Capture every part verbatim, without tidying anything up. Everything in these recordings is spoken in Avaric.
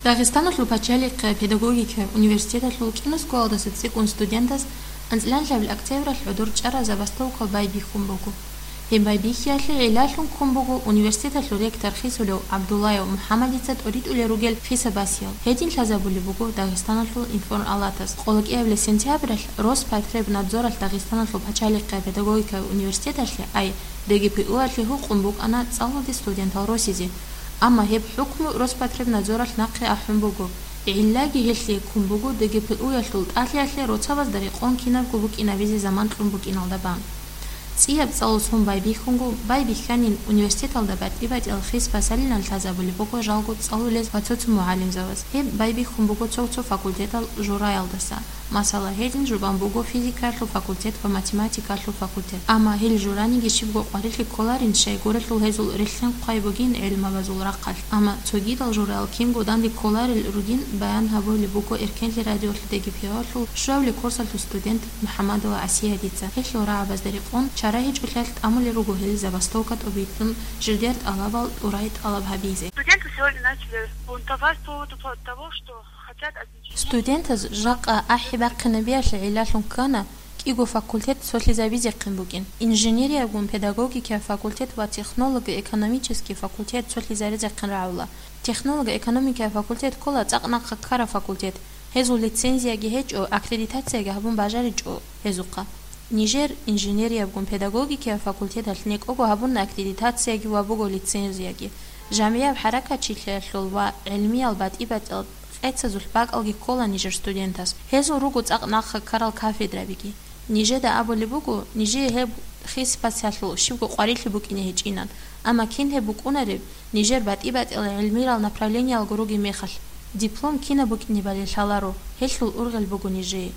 Дагъистаналъул пачалихъе педагогикая университеталъул кӀинусгоялдаса цӀикӀкӀун студентаз анцӀила октябралъ гӀодор чӀараб забастовка байбихьун буго. Гьеб байбихьиялъе гӀиллалъун ккун буго университеталъул ректор хисулев ГӀабдуллаев МухӀаммадица тӀоритӀулел ругел хисаб-басиял. Гьедин лъазабулеб буго Дагъистаналъул информалатаз. Къоло кӀиабилеб сентябралъ Роспотребнадзоралъ Дагъистаналъул пачалихъе педагогикая университеталъе, ай, ДГПУ-алъе гьукъун букӀана цӀалулде студентал росизе. Амма гьеб хӀукму Роспотребнадзоралъ нахъе ахӀун буго. ГӀиллаги гьелъие ккун буго ДГПУ-ялъул тӀалъиялъе роцабазда рекъон кинабго букӀинабизе заман кьун букӀиналда бан. ЦӀияб цӀалул сон байбихьунго, байбихьанин университеталда батӀи-батӀиял хис-басалилан лъазабулеб буго жалго цӀалулез ва цо-цо мугӀалимзабаз. Гьеб байбихьун буго цо-цо факультетал жураялдаса. Масала, гьедин жубан буго физикаялъул факультет ва математикаялъул факультет. Амма гьел жураниги щибго къварилъи кколарин, щайгурелъул гьезул релълъин хъвай бугин гӀелмабазул рахъалъ. Амма цогидал жураял кинго данде кколарел ругин баян гьабулеб буго Эркенлъи радиолъ ДГПУ-алъул щуабилеб курсалъул студент МухӀаммадова Асиядица. Гьелъул рагӀабазда рекъон чара гьечӀолъиялъ тӀамулел руго гьел забастовка тӀобитӀун жидер тӀалабал тӀурай тӀалаб гьабизе. Студенты сегодня начали бунтовать по поводу того, что хотят объединить. Студентаз жакъа ахӀи бахъинабиялъе гӀиллалъун ккана, кӀиго факультет цолъизабизехъин букӀин. Инженериябгун педагогикая факультет ва технолого-экономический факультет цолъизаризехъин рагӀула. Технолого-экономикая факультет ккола цӀакъ нахъа ккараб факультет. Гьезул лицензияги гьечӀо, аккредитацияги гьабун бажаричӀо гьезухъа. Нижер инженериябгун педагогикая факультеталъ некӀого гьабуна аккредитацияги ва буго лицензияги. ЖамигӀияб хӀаракатчилъиялъул ва гӀилмиял батӀи-батӀиял къецазулъ бакӀалги ккола нижер студентас. Гьезул руго цӀакъ нахъа ккарал кафедрабиги. Нижеда абулеб буго, нижее гьеб хис-басиялъул щибго къварилъи букӀине гьечӀинан, амма кин гьеб букӀунареб, нижер батӀи-батӀиял гӀилмиял направлениялго ругеб мехалъ. Диплом кинаб букӀинебали лъаларо, гьелъул ургъел буго нижее.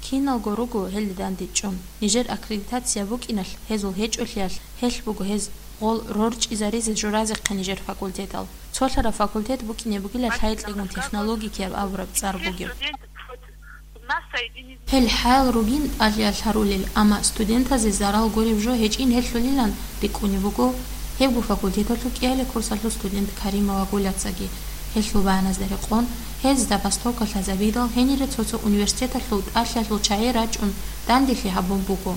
Киналго руго гьелде дандечӀун. Нижер аккредитация букӀиналъ, гьезул гьечӀолъиялъ, гьелъ буго гьез гъол рорчӀизаризе журазехъе нижер факультетал. Цолъараб факультет букӀине бугила лъайкьегун технологикияб абураб цӀар бугеб. Гьел хӀаял ругин тӀалъиялъ гьарулел, амма студентазе зарал гуреб жо гьечӀин гьелъулилан рикӀкӀунеб буго гьебго факультеталъул кӀиялеб курсалъул студент Каримова Гуляцаги. Гьелъул баяназда рекъон, гьез забастовка лъазабидал гьенире цо-цо университеталъул тӀалъиялъул чагӀи рачӀун данделъи гьабун буго.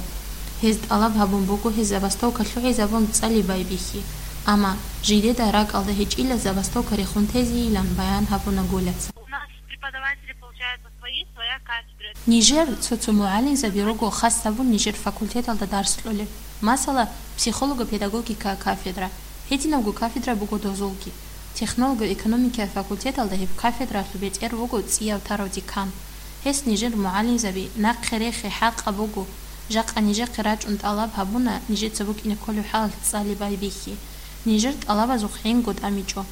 Гьез тӀалаб гьабун буго гьез забастовка лъугӀизабун цӀали байбихьи, амма жидеда ракӀалда гьечӀила забастовка рехун тезейилан баян гьабуна Гуляца. У нас преподаватели, получается, свои, своя кафедра. Нижер цо-цо мугӀалимзаби руго хас гьабун нижер факультеталда дарс кьолеб. Масала, психолого-педагогика кафедра. Гьединабго кафедра буго дозулги. Технолого-экономикая факультеталда гьеб кафедралъул бетӀер вуго цӀияв тарав декан. Гьес нижер мугӀалимзаби нахъе рехи хӀакъаб буго. Жакъа нижехъе рачӀун тӀалаб гьабуна нижеца букӀине кколеб хӀалалъ цӀали байбихьи. Нижер тӀалабазухъ гӀинго тӀамичӀо.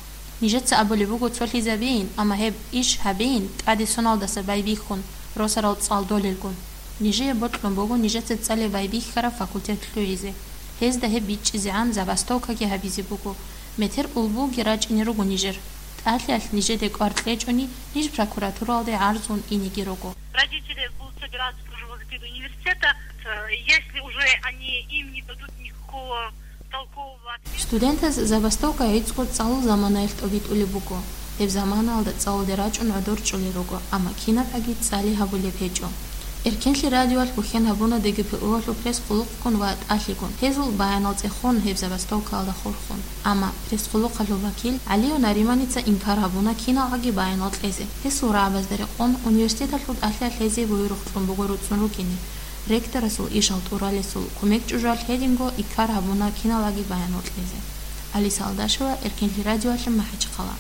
Нижеца абулеб буго цолъизабейин, амма гьеб иш гьабейин тӀаде соналдаса байбихьун, росарал цӀалдолелгун. Нижее бокьун буго нижеца цӀали байбихьараб факультет лъугӀизе. Гьезда гьеб бичӀчӀизегӀан забастовкаги гьабизе буго. Метер улбуги рачӀине руго нижер. ТӀалъиялъ нижеде кӀвар кьечӀони, ниж прокуратуралде гӀарзун инеги руго. Родители будут собираться тоже возле перед университета. Э, если уже они им не дадут никакого толкового ответа. Студентаз забастовка гӀицӀго цӀалул заманаялъ тӀобитӀулеб буго. Гьеб заманаялда цӀалулде рачӀун гӀодор чӀолел руго, амма кинабгӀаги цӀали гьабулеб гьечӀо. Эркенлъи радиоялъ бухьен гьабуна ДГПУ-алъул пресс-къуллукъгун ва тӀалъигун, гьезул баянал цӀехун гьеб забастовкаялда хурхун. Амма пресс-къуллукъалъул вакил ГӀалиев Нариманица инкар гьабуна киналгӀаги баянал кьезе. Гьесул рагӀабазда рекъон, университеталъул тӀалъиялъ гьезие буюрухъ кьун буго руцӀцӀун рукӀине. Ректорасул ишал тӀуралесул кумек чӀужуялъ гьединго инкар гьабуна киналгӀаги баянал кьезе. Алиса Алдашева, Эркенлъи радиоялъе, МахӀачхъала.